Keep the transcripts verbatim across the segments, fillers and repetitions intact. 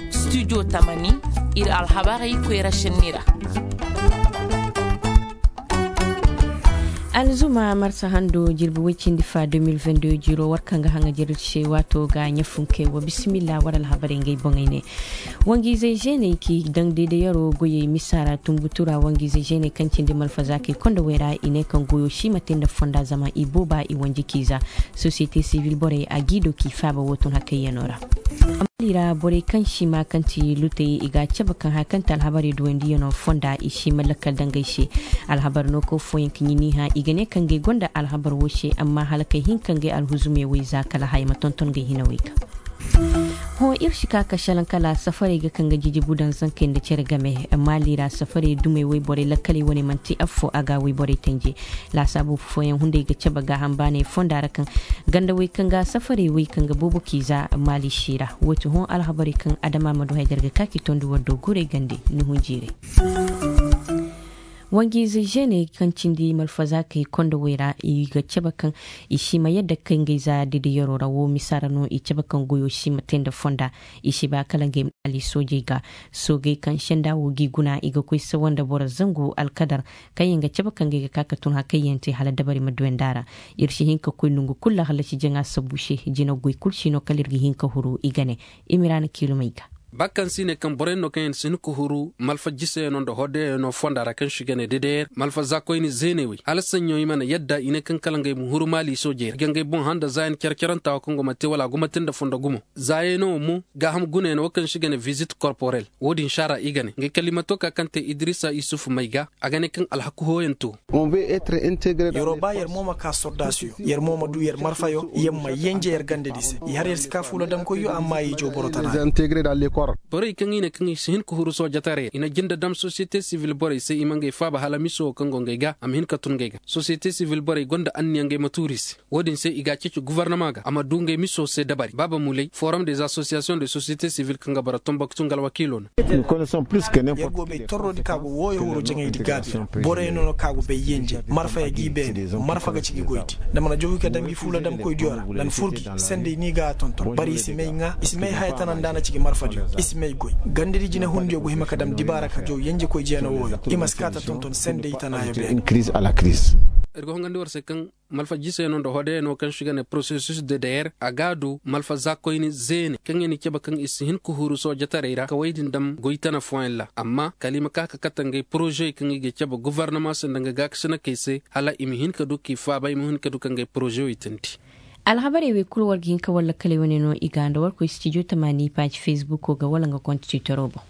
Studio tamani, ir alhabarey koyra šenni ra. Alzuma marsa hando jirbi woy cindi fa deux mille vingt-deux jiro war kaŋ ga haŋa jirbi se waato ga ɲafunkey wo bisimilla war alhabarey ngey boŋey ne. Wangiizey zeeney k'i daŋ deedeyaro goyey misa ra tunbutu ra wangiizey zeeney kaŋ cindi malfazaakey konda wey ra i ne kaŋ goyo si ma te nda fonda zama i booba i wanji k'i za. Sosiyete sivil borey a g'i do k'i faaba woo tun hakayyanoo ra. Maali ra borey kaŋ si maa kaŋ ti lutey i ga a cabe kaŋ haya kaŋ ti alhabarey duwandiyanoo fonda i si ma lakkal daŋ ngey se. Alhabar no kaw fooyaŋ ka ɲini hã i ga ne kaŋ ngey gonda alhabar woo se amma hala kay hinka ngey alhuzumey wey za kala haya ma tonton ngey hinawey ga. Hõ ir si ka ka šelaŋ kala safarey ga kaŋ ga jijibu daŋ zankey nda cere game. Maali ra safarey dumey woyborey lakkaley wane man'ti affoo a ga woyborey tenje. Laasaabu fooyaŋ hunday ga cabe gaaham baaney fonda ra kaŋ gandawey kaŋ ga safarey woy kaŋ ga boobo k'i za maali si ra. Woo ti hõ alhabarey kaŋ adama ma du haydar ga ka k'i tondi war do guurey gande ni hunjiirey. Wanjiize žene kaŋ cindi malfazaakey kondowey ra i ga cabe kaŋ i si ma yadda kay ngey za didiyaroo ra woo misa ra no i cabe kaŋ goyoo si ma te nda fonda. I si ba kala ngey ma ali soojey ga. Soogey kaŋ senda woo g'i guna i ga koy sawa nda boro zangu alkadar kaŋyaŋ ga cabe kaŋ ngey ga ka ka tun hakayyaŋ te hala dabari ma duwandi a ra. Ir si hin ka koy nongu kul ra hallasi jaŋa sabu se jina goy kul si no kala ir ga hin ka huru i ga ne. Imiraana kiilumey ga. Ba kaŋ se i ne kaŋ boroyaŋ no kaŋ yaŋ si hin ka huru malfa jiseyaŋo nda hoddeyaŋo fonda ra kaŋ se i ga ne dedeyer malfa zaakoyni zeeney wey hala saɲɲo i mana yadda i ne kaŋ kala ngey ma huru maali soojey ra i ga ngey boŋ hã nda zaayan care carantaa woo kaŋ go ma te wala a go ma te nda fondo gumo. Zaayaŋo mo gaaham gunayaŋo woo kaŋ se i ga ne vizit korporel. Woo din saara i ga ne ngey kala i ma too ka kaŋ te idirisa isufu may ga. A ga ne kaŋ alhaku hooyaŋ too. Yeroo ba yer mo ma kaa sordaasiyo yer mo ma duu yer marfayo yer ma yenje yer gandadi se. I har yer si kaa fuula damkoyyo amma i joo boro tana. Borey kaŋ i ne kaŋ i si hin ka huru soojataray ra i na jinde dam sosiyete sivil borey se i ma ngey faaba hala miso woo kaŋ go ngey ga a ma hin ka tun ngey ga sosiyete sivil borey gonda anniya ngey ma tuuri se. Woo din se i ga a ceeci gofornama ga a ma duu ngey miso se dabari baaba muley forum des asosiyasiyoŋ de sosiyete sivil kaŋ ga bara tomboktu nga alwakiilo no. Yer go bay torrodi ka go wooyo huru jaŋaydi gaabi ra boroyaŋ no ka go bay yenje marfa ya g'i beene. Marfa ga ci gi goydi nda mana jowi ka dam gi fuula damkoydiyo ra nda na fur gi sendey ni ga a tonton bari i si may ŋaa i si may haya tana nda a na ci gi marfadiyo i si may goy. Gandadi jinehundiyo go hima ka dam dibaara ka jow yenjekoy jeena wooyo i ma si kaa ta tonton sendey tanaayo beene. Ir ga hongandi war se kaŋ malfa jiseyaŋo nda hodeyaŋo kaŋ se i ga ne porosesus de deyer a ga a du malfa zaakoyni zeene kaŋ ya ni cabe kaŋ i si hin ka huru soojataray ra kawey din dam goy tana fooyaŋ ra amma kala i ma ka ka kate ngey porozey kaŋ i ga cabe gofornama se nda nga gaakasinakey se hala i ma hin ka du k'i faaba i ma hin ka du ka ngey porozey teendi. Alhabarey wey kul war ga hin ka war lakkaley wane no i ga nda war koy stijo tamaani paaji fesbuko ga wala nga kont tiitoroo boŋ.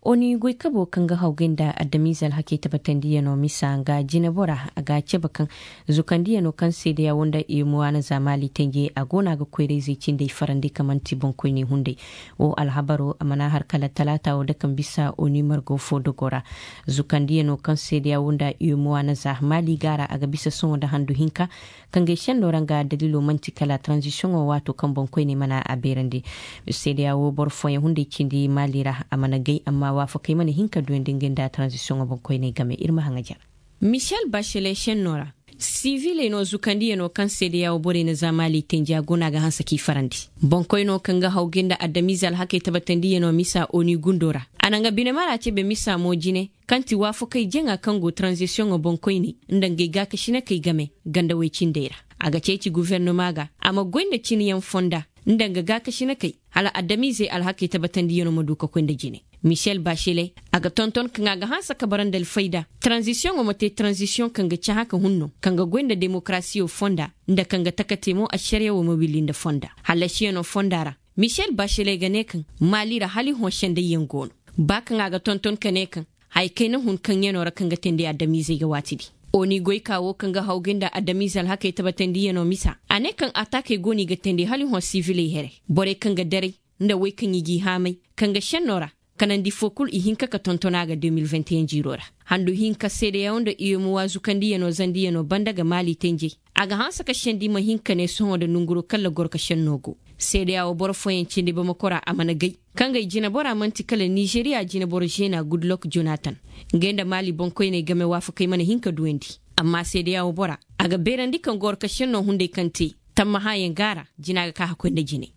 Oni goykaboo kaŋ ga hawgay nda adamiize alhakey tabatandiyanoo misa nga jineboraa a ga a cabe kaŋ zukandiyanoo kaŋ seedeya woo nda iyomowa na za maali tenje a go no a ga koyrayzey cindey farandi ka man'ti boŋkoyney hunday. Woo alhabaroo a mana har kala talaata woo dake ma bisa oni margo foo dogoo ra. Zukandiyanoo kaŋ seedeya woo nda iyomowa na za maali ga a ra a ga bisa sohõ nda handu hinka. Kaŋ gay šennoo ra nga daliloo man'ti kala taranzisiyoŋoo waatoo kaŋ boŋkoyney mana a beerandi. Seedeya woo boro fooyaŋ hunday cindi maali ra a mana gay amma waafakey mana hin ka duyandi ngey nda taranzisiyoŋoo boŋkoyney game ir ma haŋajar. Michel bachele šennoo ra siviley no zukandiyanoo kaŋ seedeya woo borey na za maali tenja go no a ga hanse k'i farandi. Boŋkoynoo kaŋ ga hawgay nda adamiize alhakey tabatandiyanoo misa oni gundoo ra a na nga binemaraa cebe misa mo jine kaŋ ti waafakey jaŋa kaŋ go taranzisiyoŋoo boŋkoyney nda ngey gaakasinakey game. Gandawey cindey ra a ga ceeci gufernama ga a ma goy nda cinyaŋ fonda nda nga gaakasinakey hala adamiizey alhakey tabatandiyanoo ma du ka koy nda jine. Michel bachele a ga tonton kaŋ a ga hanse ka bara nda alfayda taranzisiyoŋoo ma te taranzisiyoŋ kaŋ ga cahã ka hun no kaŋ ga goy nda demokarasiyo fonda nda kaŋ ga taka te mo ašariya woo ma willi nda fonda. Hallasiyanoo fonda ra michel bachele ga ne kaŋ maali ra hala i hõ sendayyaŋ go no. Ba kaŋ a ga tonton ka ne kaŋ haya kayna hun kaŋyanoo ra kaŋ ga teendi adamiizey ga waatidi. Oni goykaa woo kaŋ ga hawgay nda adamiize alhakey tabatandiyanoo misa a ne kaŋ ataakey go no i ga teendi hala i hõ siviley here borey kaŋ ga daray nda wey kaŋ i g'i haamay kaŋ ga šennoo ra kanandi foo kul i hinka ka tonton a ga deux mille vingt et un jiiroo ra. Handu hinka seedeya woo nda iyomowa zukandiyanoo zandiyanoo banda ga maali tenjey a ga hanse ka sendi ma hin ka ne sohõ nda nonguroo kalla goro ka šennoo go. Seedeya woo boro fooyaŋ cindi bamako ra a mana gay kaŋ gay jineboraa man'ti kala nizeriya jineboro žeenaa gudlok jonatan. Ngey nda maali boŋkoyney game waafakey mana hin ka duyandi. Amma seedeya woo boraa A ga beerandi kaŋ goro ka šennoo hunday kaŋ te tammahayaŋ go a ra. Jina ga ka hakkoy nda jine.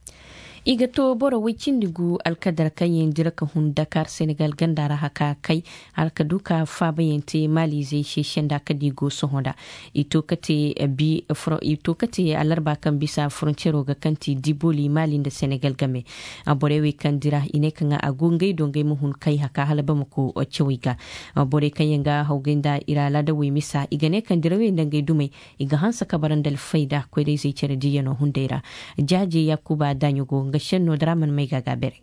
I ga to boro woy cindi gu alkadar kaŋ yaŋ dira ka hun dakar senegal ganda ra haka kay, hala ka du ka faabayaŋ te maaliizey se senda ka di go sohõ nda. I to ka te alarba kaŋ bisa foroncero ga kaŋ ti diboli maali nda senegal game. Borey wey kaŋ dira i ne kaŋ a go ngey do ngey ma hun kay haka hala bamako cawey ga. Borey kaŋ yaŋ ga hawgay nda i ra laadawey misa i ga ne kaŋ dirawey nda ngey dumey i ga hanse ka bara nda alfayda koyra-izey care diiyanoo hunday ra. Jaaje yaakuba daaɲo go nga šenno dara mana may ga a ga a beerey.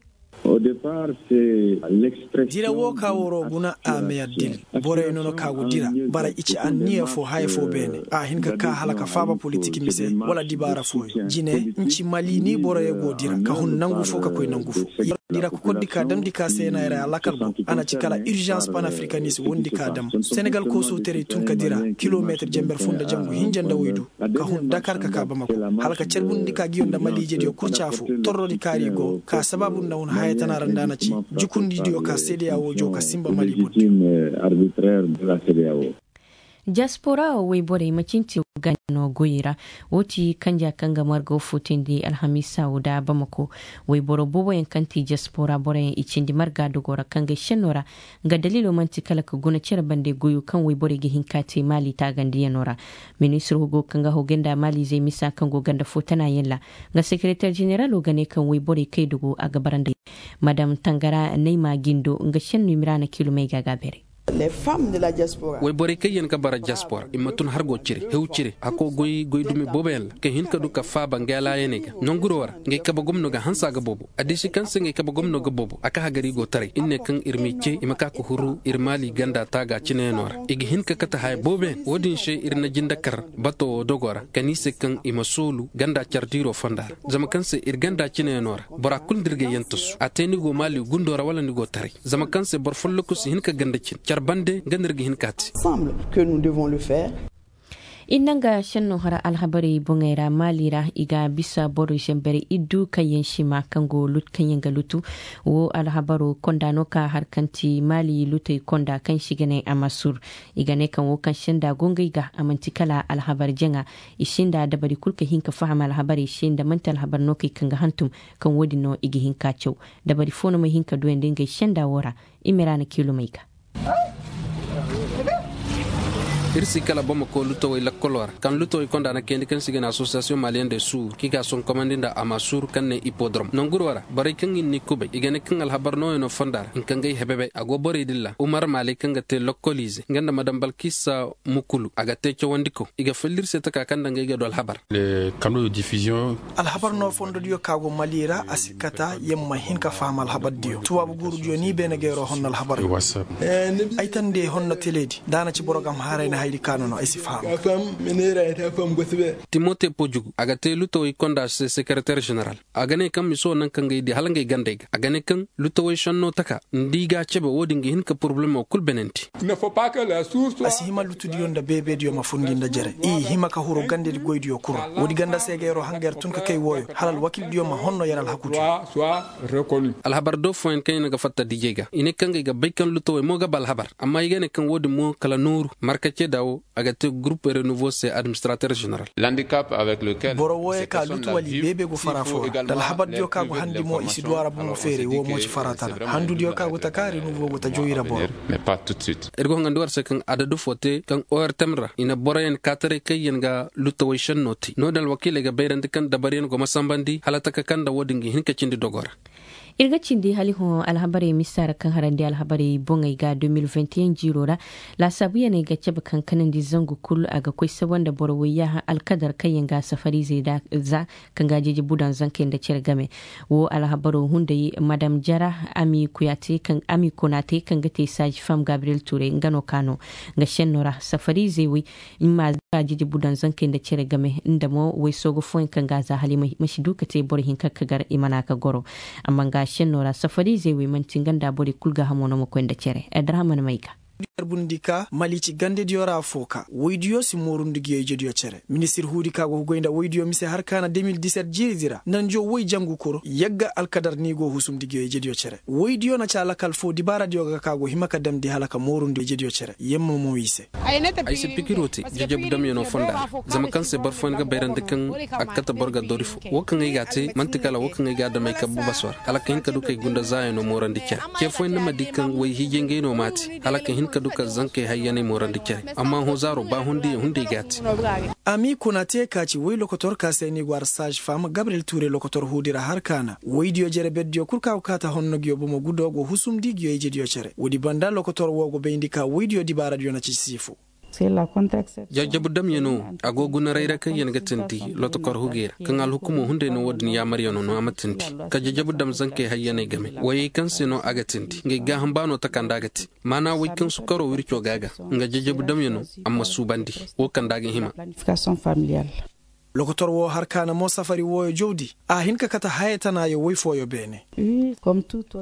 Dira wo ka woro guna a may addil. Borey no no ka go dira bara i ci anniya fo haya fo beene a hin ka ka hala ka faaba politik mise wala dibaara fooyaŋ jine. Nci mali ni borey go dira ka hun nangu fo ka koy nangu fo. Dira kokordi ka damndi ka seenayra alakal go a na ci kala irzans panafrikanis wondi ka dam. Senegal koosoo terey tun ka dira kilomeetir jenber fo nda jangu hinja nda woy du ka hun dakar ka ka bamako hala ka carbundi ka giyo nda maliijediyo kurca fo. Torrodi kaari go ka sabaabu nda hun haya tana ra nda a na ci jukundidiyo ka seedeya wo jow ka sinba mali bordiyo. Diaspora wo woyborey ma cinti wo ga no goyey ra. Wo ti kanja kaŋ ga marga wo footayndi alhamiisa wo da bamako. Woyboro booboyaŋ kaŋ ti diaspora boroyaŋ i cindi marga dogo ra kaŋ ga ay senno ra. Nga daliilo man'ti kala ka guna cere bande goyo kaŋ woyborey ga hin ka te maali taagandiyanoo ra. Ministir hugo kaŋ ga hawgay nda maaliizey misa kaŋ go ganda fo tana yaŋ ra. Nga sekereter jeneralo ga ne kaŋ woyborey kay dogo a ga bara nda. Madam tangara nayma gindo nga senno imiraana kilumey ga a ga a beerey. Wayborey kaŋ yaŋ ga bara diaspora i ma tun hargo cire hew cire hakko goy goy dumi booboyaŋ ra ka hin ka du ka faaba nga yalaayaney ga nanguro ra. Nga ay kabe gomno ga hanse a ga boobo addiisi kaŋ se nga ay kabe gomno ga boobo a ka hagari go taray ir ne kaŋ ir m'i ce i ma ka ka huru ir maali ganda taaga cineyaŋo ra. I ga hin ka kate haya booboyaŋ wo-din se ir na jinde kar bato wo dogo ra ka ne i se kaŋ i ma soolu ganda care diiro fonda ra. Zama kaŋ se ir ganda cineyaŋo ra bora kulu nda ir ga yaŋ tasu a te ni go maali gundo ra wala ni go taray. Zama kaŋ se boro folloku si hin ka ganda cin care bande nga no ir ga hin ka te. Ir na nga senno hara alhabarey boŋey ra maali ra i ga bisa boro zamber iddu kaŋ yaŋ sima kaŋ go lutu kaŋ yaŋ ga lutu. Wo alhabaro konda no ka har kaŋ ti maali lutey konda kaŋ si ga ne amasur. I ga ne kaŋ wo kaŋ senda go ngey ga a man'ti kala alhabar jaŋa. I sinda dabari kulu ka hin ka faham alhabarey se nda man'ti alhabar no kay kaŋ ga hantum kaŋ wo-din no i ga hin ka caw. Dabari fo no may hin ka duyandi ngey senda wo ra. Imiraana kiilumey ga. Ir si kala bamako lutawey lakkoloo ra kaŋ lutawey konda na kayandi kaŋ si ga ne asosiyasiyoŋ maliyen de suur kaŋ i ga a sonkomandi nda amasur kaŋ ne ipodrom nanguroo ra borey kaŋ i n'i kubay i ga ne kaŋ alhabar nooyanoo fonda ra hinka ngey hebebey a go borey din ra umar maaley kaŋ ga te lakkoliize nga nda madam balkisa mukulu a ga te cawandiko i ga falli ir se taka kaŋ nda ngey ga du alhabar. Alhabar no fondodiyo ka go mali ra a si kata yer ma hin ka faham alhabardiyo tubaabu guurudiyo ni beene ga yeroo honno alhabar. Ay tande honno teleedi nda a na ci boro ga ma haray na hayri ka no no ay si faham. Timote pojugu a ga te lutawey konda se sekereter general a ga ne kaŋ miso naŋ kaŋ ga ay di hala ngey gandey ga a ga ne kaŋ lutawey senno taka nda i ga a cebe wo-din ga hin ka porobalemo kul benanti. A si hima lutudiyo nda beebediyo ma fundi nda jere i hima ka huru gandedi goydiyo kul ra woodi ganda se ga yeroo hanga yer tun ka kay wooyo hala alwakildiyo ma honno yer alhakudiyo. Alhabar do fooyaŋ kaŋ i na ga fatta dijey ga i ne kaŋ ga ay ga bay kaŋ lutawey mo ga ba alhabar amma i ga ne kaŋ wo-din mo kala nooru marka ceeda wo a ga te gurup renuvo se administrater general. Boro wooyey ka lutu wala i beebe go fara fo ra nda alhabardiyo kaŋ a go handi mo i si du a ra bomo feeray wo mo ci fara tana handudiyo kaŋ a go taka renuvo go ta jow i ra boro. Ir go hangandi war se kaŋ adadu fo te kaŋ ortem ra i na boroyaŋ kaataray kaŋ yaŋ ga lutawey senno te no-din alwakiiley ga bayrandi kaŋ dabaryaŋ go ma sambandi hala taka kaŋ nda wo-din ga hin ka cindi dogo ra. Ir ga cindi hali hõ alhabarey misa ra kaŋ harandi alhabarey boŋey ga de mil vingt et un jiiro ra. Laasaabuyaney ga cabe kaŋ kanandi zangu kul a ga koy saba nda boro woyyaaha alkadar kaŋ yaŋ ga safariizey za kaŋ ga jeeje budaŋ zankey nda cere game. Wo alhabaro hunday madam jara ami konaate kaŋ ga te saaji fam gabriyel tuurey nga no ka no nga senno ra safariizey wey. Imma za ka jiji budaŋ zankey nda cere game nda mo waysoogo fooyaŋ kaŋ ga a za hala i ma si du ka te boro hinka ka gar i mana ka goro. Amma nga senno ra safariizey wey man'ti nga nda borey kul gaahamo no ma koy nda cere. Adrahaman may ga. Bundi ka malici gandediyo ra foo ka woydiyo si moorundi nguyo ijediyo cere. Ministir huudi ka go ga goy nda woydiyo mise har ka na de mil diset jiiridi ra nanjo woy jangu kuro yagga alkadar ni go husumndi nguyo ijediyo cere. Woydiyo na ci alakal foo dibaaradiyo ga ka go hima ka damndi hala ka moorundi ijediyo cere yamma mo i se. Ay si pikiroo te jajabdamyanoo fonda ra. Zama kaŋ se boro fooyaŋ ga bayrandi kaŋ a ga kate boro ga dori fo. Wo kaŋ ay g'a te man'ti kala wo kaŋ ay g'a dam ay kabbu basoo ra hala ka hin ka du k'ay gunda zaayanoo moorandi cere. Ce fooyaŋ ni ma di kaŋ woy hiijay ngey no m'a te hala ka hin ka du ka zankey hayyaney moorandi cere. Amma hõ zaaro ba hundiyaŋ hunday g'a te. A m'i kuna te ka ci woy lokotor ka se ni go ara saaz fam gabriyel tuure lokotor huudi ra har ka na woydiyo jere berdiyo kul ka go kaati honno nguyo bomo gudo go husumndi nguyo ijediyo cere woodi banda lokotor wo go bayndi ka woydiyo dibaaradiyo na ci si fo. Jajjabu damyanoo a go guna rayra kaŋ yaŋ ga tindi lotokor hugey ra kaŋ alhukumoo hunday no wo-din yaamaryanoo no a ma tindi ka jajjabu dam zankey hayyaney game woyey kaŋ se no a ga tindi ngey gaaham baanoo taka nda a ga te. Maana woy kaŋ sukaroo wircoo ga a ga nga jajjabu damyanoo a ma suubandi wo kaŋ nda a ga hima. Lokotor woo har kaana mo safari wooyo jowdi a hin ka kate haya tanaayo woy fooyo beene.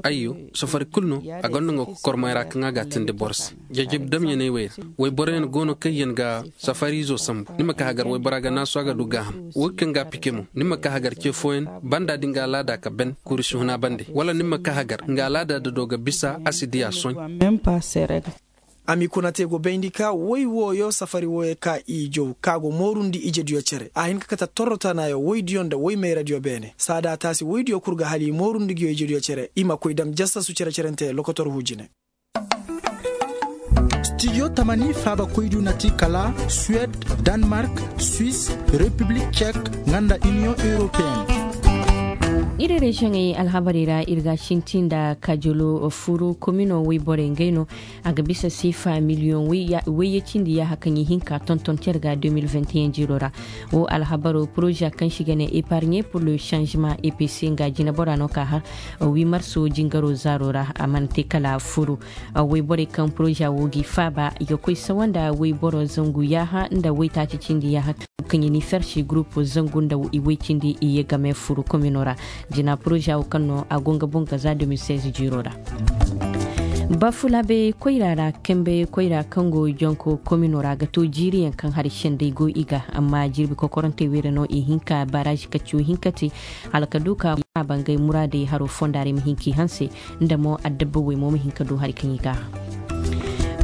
Ayyo, safari kul no a gonda nga kokormay ra kaŋ a ga a tindi boro se. Jajjab damyaney wey ra woy boroyaŋ go no kaŋ yaŋ ga safariizo sambu ni ma ka hagar woy bora ga naasu a ga du gaaham. Woy kaŋ ga a pike mo ni ma ka hagar ce fooyaŋ banda da nga alaada ka ben kuuri si huna bande wala ni ma ka hagar nga alaada da do ga bisa a si diya soy. A m'i kuna te go bayndi ka woy wooyo safari wooyo ka i jow ka go moorundi ijediyo cere a hin ka kate torro tanayo woydiyo nda woy mayradiyo beene saada taasi woydiyo kul ga hala i moorundi nguyo ijediyo cere i ma koy dam jassasu cere-cerente lokotor huu jine. Stijo tamani faabakoydiyo na ti kala suwed, danmark, suis, repiblik cek, nga nda iniyoŋ europeen. Ir reziyoŋey alhabarey ra ir ga a sinti nda kajolo furu komino woyborey ngey no. A ga bisa seefa miliyoŋ wayye cindi yaaha kaŋ i hin ka tonton cere ga deux mille vingt et un jiiro ra. Wo alhabaro poroza kaŋ se i ga ne epargne pour le changement epc nga jinebora no ka har wi marso jingaro zaaro ra a mana te kala furu. Woyborey kaŋ poroza wo g'i faaba i ga koy sawa nda woyboro zangu yaaha nda woytaaci cindi yaaha kaŋ i ni fersi gurupu zangu nda i woy cindi i ye game furu komino ra. Jina poroza wo kaŋ no a go nga boŋ ga za deux mille seize jiiro ra. Bafulaabey koyra ra kambey koyra kaŋ go jonko komino ra ga to jiiriyaŋ kaŋ hari sendey go i ga amma jirbi kokorantey wayra no i hin ka baarazi kacciyo hinka te hala ka du ka a bangay muraadey haro fonda ra i ma hin k'i hanse nda mo adabba wey mo ma hin ka du hari kaŋ i ga a.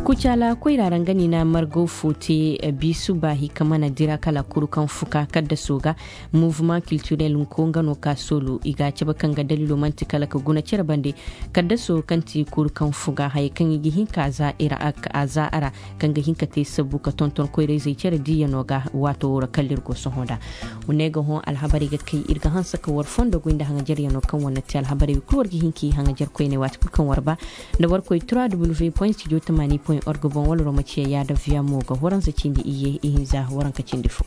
Kucaala koyra ra nga ni na margaw fo te biisu baahi ka mana dira kala kuru kaŋ fuka kaddaso ga. Mouvement kiltirel nko nga no ka soolu i ga a cabe kaŋ ga daliilo man'ti kala ka guna cere bande. Kaddaso kaŋ ti kuru kaŋ fuga hayey kaŋ i ga hin ka a za ira a za a ra kaŋ ga hin ka te sabbu ka tonton koyra-izey cere diiyano ga waato wo ra kala ir go sohõ nda. Wa ne ga hõ alhabarey ga kay ir ga hanse ka war fondo goy nda haŋajaryanoo kaŋ war na te alhabarey kul war ga hin k'i haŋajar koyney waati kul kaŋ war ba. Nda war koy trois w point studio tamani point org boŋ wala romaciya yaada viya mo ga waransa cindi iyye ihinza waranka cindi fo.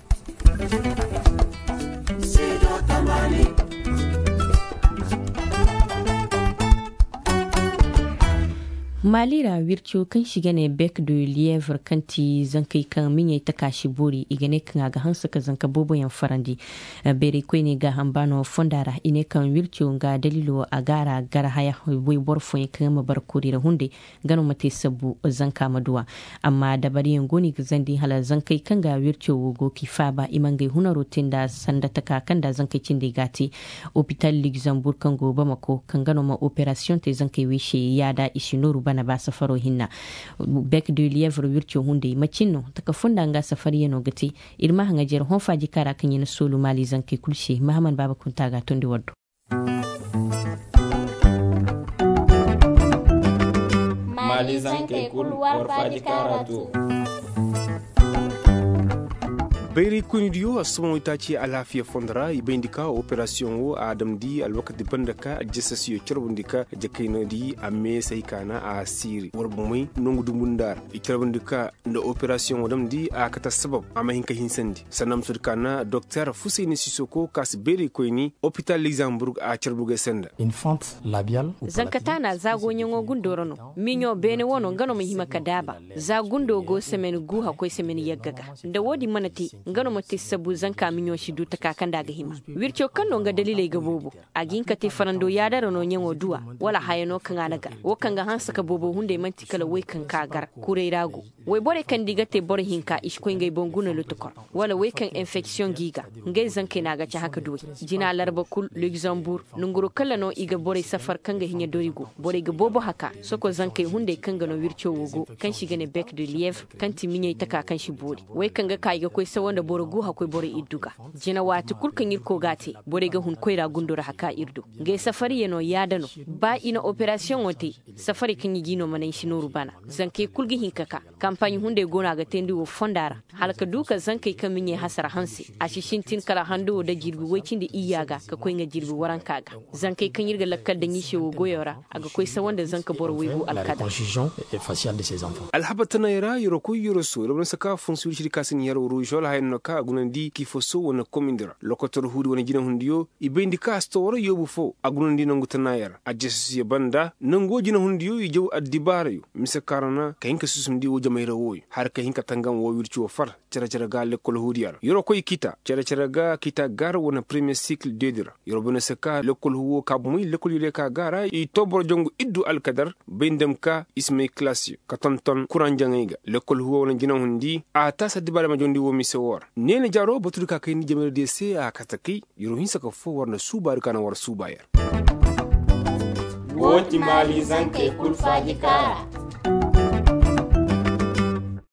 Maali ra wirco kaŋ se i ga ne bek de lievre kaŋ ti zankey kaŋ miɲey taka si boori i ga ne kaŋ a ga hanse ka zanka booboyaŋ farandi. Beeray koyney gaaham baano fonda ra i ne kaŋ wirco nga daliilo a ga a ra gar haya. Wayboro fooyaŋ kaŋ yaŋ ma bara koori ra hunday nga no ma te sabbu zanka ma duw'a. Amma dabariyaŋ go no i ga zandi hala zankey kaŋ ga wirco wo go k'i faaba i ma ngey hunaro te nda sanda taka kaŋ nda zankey cindey ga a te. Opital ligzambur kaŋ go bamako kaŋ ga no ma operasiyoŋ te zankey wey se yaada i si nooru bana ba safaro hinna. Bek de lievre wirco hunday macin no taka funda nga safariyano ga te. Ir ma haŋajer hõ faaji kaŋ ra kaŋ ya na soolu maali zankey kul se mahaman baaba kunta ga a tondi war do. Maali zankey kul war faaji kaŋ ra to. Bayray koynidiyo a sohõ itaaci alaafiya fondo ra i bayndi ka operasiyoŋ wo a damndi alwakati banda ka aljasasiyo carbundi ka jakayna di a meesay kaana a siiri war bomey nongu dumbu nda ra i carbundi ka nda operasiyoŋo damndi a kate sabab a ma hin ka hinsandi sanda ma soodi kaana doktor fusayni sisoko ka si bayray koyni opital ligzamburg a carbu ga ay se nda. Zanka taana za gooɲaŋo gundo ra no miɲo beene wo no nga no ma hima ka daaba. Za gundo go semen gu hakkoy semen yagga ga nda wo-din mana te. nga no ma te sabu zanka miɲo si du taka kaŋ nda a ga hima. Wirco kaŋ no nga daliley ga boobo, a ga hin ka te farando yaadara no ɲaŋo duwa, wala haya no kaŋ a na gar wo kaŋ ga hanse ka boobo hunday man'ti kala wey kaŋ ka gar. Kuray ra go. Wayborey kaŋ nda i ga te boro hinka i si koy ngey boŋ guna lotokor, wala wey kaŋ enfeksiyoŋ g'i ga, ngey zankey no a ga cahã ka duwey. Jina larba kul, lugzambur, nonguro kalla no i ga borey safar kaŋ ga hiɲa dori go. Borey ga boobo haka soko zankey hunday kaŋ ga no wirco wo go, kaŋ se i ga ne bek de liyev, kaŋ ti miɲey taka kaŋ si boori. Wey kaŋ ga ka i ga koy sawa nda boro gu hakkoy borey iddu ga. Jina waati kul kaŋ ir koo g'a te, borey ga hun koyra gundo ra haka ir do. Ngey safariya no yaada no. Ba i na operasiyoŋo te, safarey kaŋ i g'i no mana i si nooru bana. Zankey kul ga hin ka ka. Kampaaɲ hunday go no a ga teendi wo fonda ra, hala ka du ka zankey kaŋ miɲey hasara hanse. A si sintin kala hando wo nda jirbi woy cindi iyya ga ka koy nga jirbi waranka ga. Zankey kaŋ ir ga lakkal daŋ i se wo goyo ra, a ga koy sawa nda zanka boro waygu alkadar. Alhabar tanay ra yero koy yero so yero bana saka funsu ir ciri ka si ni yero ružol haya no ka a gunandi kiifoso wane komindi ra lokotor huudi wane jinahundiyo. I bayndi ka a si to wara yoobu fo a gunandi nangu tanay ra a jeesusiyo banda nangu wo jinahundiyo i jaw addibaarayo mise kaŋ ra na ka hin ka susumndi wo jamay ra wooyo hala ka hin ka tangam woo wirci woo far. Cere-cere ga lekkol huudiya ra yeroo koy kita cere-cere ga kita gar wane premiye sikil deedi ra. Yeroo bane se ka lekkol huuwoo ka bumey lekkol yeroo ka ga a ra i too boro jongu iddu alkadar bay nda ma ka i si may kilaasiyo ka tonton kuraŋ jaŋay ga. Lekkol huuwoo wane jinahundi a taasi addibaarey ma jondi woo mise woo ra. Neena jaaroo batudi ka kayndi jamayra diyo se a kate kay. Yeroo hinsa ka foo war na suubaari ka na war suuba yer. Woo ti maali zankey kul faaji kaara.